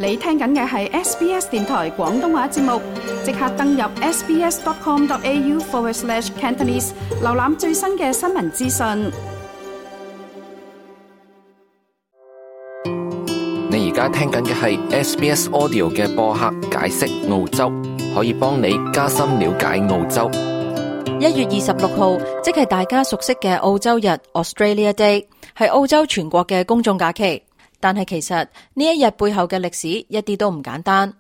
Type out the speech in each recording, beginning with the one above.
你聽緊嘅係 SBS 電台廣東話節目，即刻登入 sbs.com.au/Cantonese 瀏覽最新嘅新聞資訊。你而家聽緊嘅係 SBS Audio 嘅播客解釋澳洲，可以幫你加深了解澳洲。1月26號，即係大家熟悉嘅澳洲日 Australia Day， 係澳洲全國嘅公眾假期。但係其實呢一日背後嘅歷史一啲都唔簡單。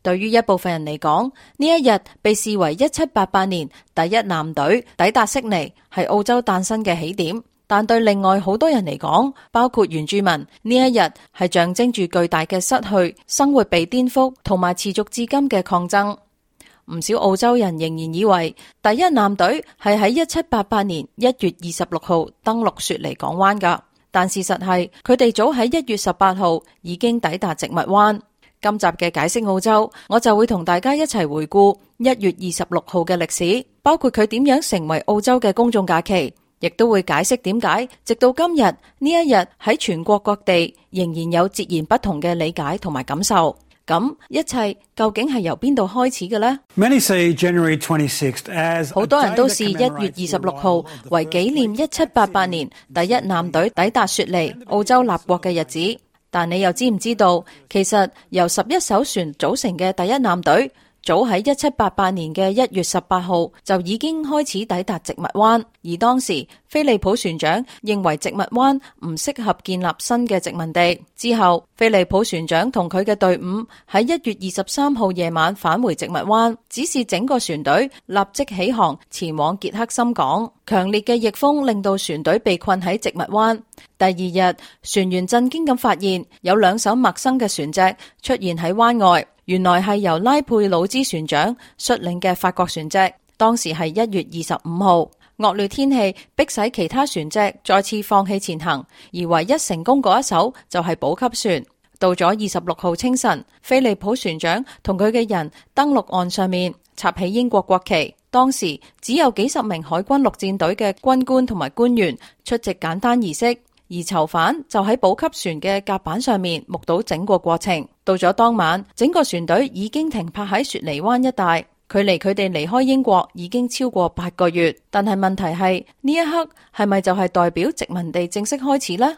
對於一部分人嚟講，呢一日被視為1788年第一艦隊抵達悉尼，係澳洲誕生嘅起點。但對另外好多人嚟講，包括原住民，呢一日係象徵住巨大嘅失去、生活被顛覆同埋持續至今嘅抗爭。唔少澳洲人仍然以為第一艦隊係喺1788年1月26號登陸雪梨港灣㗎，但事實係佢哋早喺1月18號已經抵達植物灣。今集嘅解釋澳洲，我就會同大家一齊回顧1月26號嘅歷史，包括佢點樣成為澳洲嘅公眾假期，亦都會解釋點解直到今日呢一日喺全國各地仍然有截然不同嘅理解同埋感受。咁一切究竟係由邊度開始嘅呢？好多人都視1月26號為紀念1788年第一艦隊抵達雪梨澳洲立國嘅日子，但你又知唔知道，其實由11艘船組成嘅第一艦隊早喺1788年嘅1月18號就已經開始抵達植物灣，而當時菲利普船長認為植物灣唔適合建立新嘅殖民地。之後，菲利普船長同佢嘅隊伍喺1月23號夜晚返回植物灣，指示整個船隊立即起航前往傑克森港。強烈嘅逆風令到船隊被困喺植物灣。第二日，船員震驚咁發現有2艘陌生嘅船隻出現喺灣外。原來係由拉佩魯茲船長率領嘅法國船隻，當時係1月25號。惡劣天氣迫使其他船隻再次放棄前行，而唯一成功嗰一艘就係補給船。到咗26號清晨，菲利普船長同佢嘅人登陸岸上面，插起英國國旗。當時只有幾十名海軍陸戰隊嘅軍官同埋官員出席簡單儀式。而囚犯就喺補給船嘅甲板上面目睹整個過程。到咗當晚，整個船隊已經停泊喺雪梨灣一帶，距離佢哋離開英國已經超過8個月。但係問題係，呢一刻係咪就係代表殖民地正式開始呢？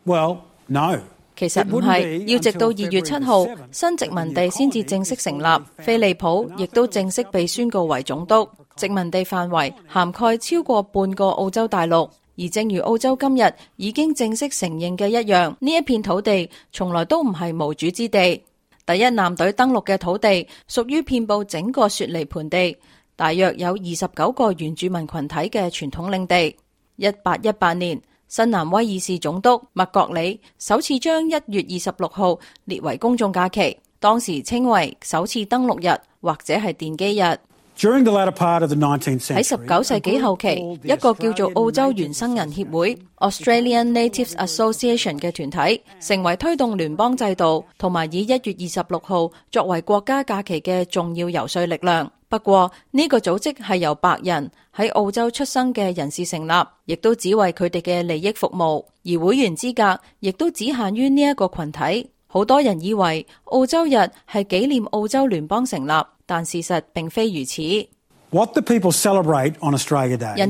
Well, no. 其實唔係，要直到2月7號，新殖民地先至正式成立，菲利普亦都正式被宣告為總督。殖民地範圍涵蓋超過半個澳洲大陸。而正如澳洲今日已經正式承認嘅一樣，呢一片土地從來都唔係無主之地。第一艦隊登陸嘅土地屬於遍佈整個雪梨盆地，大約有29個原住民群體嘅傳統領地。1818年，新南威爾士總督麥國里首次將1月26號列為公眾假期，當時稱為首次登陸日或者係奠基日。喺19世紀後期，一個叫做澳洲原生人協會 Australian Natives Association 嘅團體，成為推動聯邦制度同埋以1月26號作為國家假期嘅重要游說力量。不過呢個組織係由白人喺澳洲出生嘅人士成立，亦都只為佢哋嘅利益服務，而會員資格亦都只限於呢一個群體。好多人以為澳洲日係紀念澳洲聯邦成立，但事實並非如此。人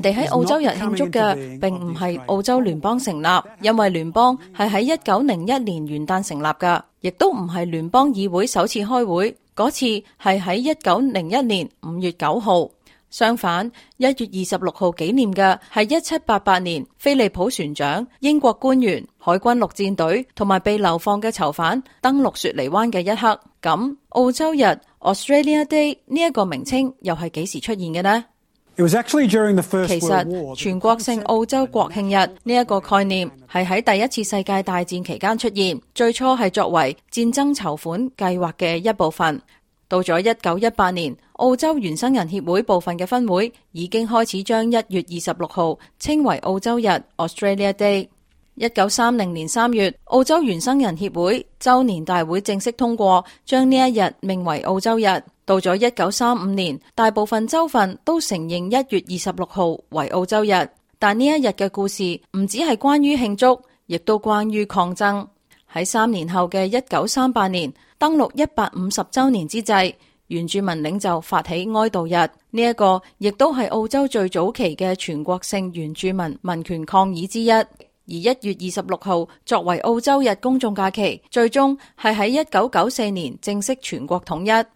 哋喺澳洲日慶祝嘅並唔係澳洲聯邦成立，因為聯邦係喺1901年元旦成立㗎，亦都唔係聯邦議會首次開會，嗰次係喺1901年5月9號。相反，1月26號紀念嘅係1788年菲利普船長、英國官員、海軍陸戰隊同埋被流放嘅囚犯登陸雪梨灣嘅一刻。咁澳洲日 Australia Day 呢一個名稱又係幾時出現嘅呢？其實全國性澳洲國慶日呢一個概念係喺第一次世界大戰期間出現，最初係作為戰爭籌款計劃嘅一部分。到咗1918年，澳洲原生人協會部分嘅分會已經開始將1月26號稱為澳洲日 Australia Day。1930年3月，澳洲原生人協會周年大會正式通過將呢一日命為澳洲日。到咗1935年，大部分州份都承認1月26號為澳洲日。但呢一日嘅故事唔只係關於慶祝，亦都關於抗爭。喺3年後嘅1938年登陸150週年之際，原住民領袖發起哀悼日，呢一個亦都係澳洲最早期嘅全國性原住民民權抗議之一。而1月26號作為澳洲日公眾假期，最終係喺1994年正式全國統一。1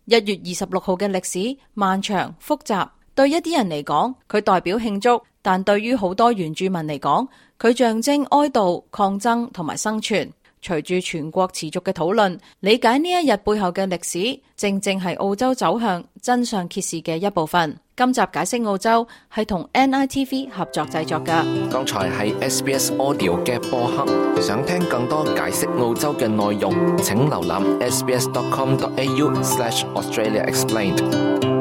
月26號嘅歷史漫長複雜，對一啲人嚟講，佢代表慶祝，但對於好多原住民嚟講，佢象徵哀悼、抗爭同埋生存。隨住全國持續嘅討論，理解呢一日背後嘅歷史，正正係澳洲走向真相揭示嘅一部分。今集解釋澳洲係同 NITV 合作製作㗎。剛才係 SBS Audio 嘅播客，想聽更多解釋澳洲嘅內容，請瀏覽 sbs.com.au/AustraliaExplained。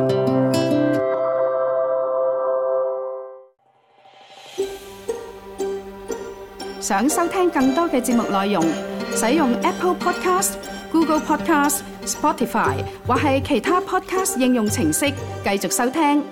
想收聽更多嘅節目內容，使用 Apple Podcast、Google Podcast、Spotify 或係其他 Podcast 應用程式繼續收聽。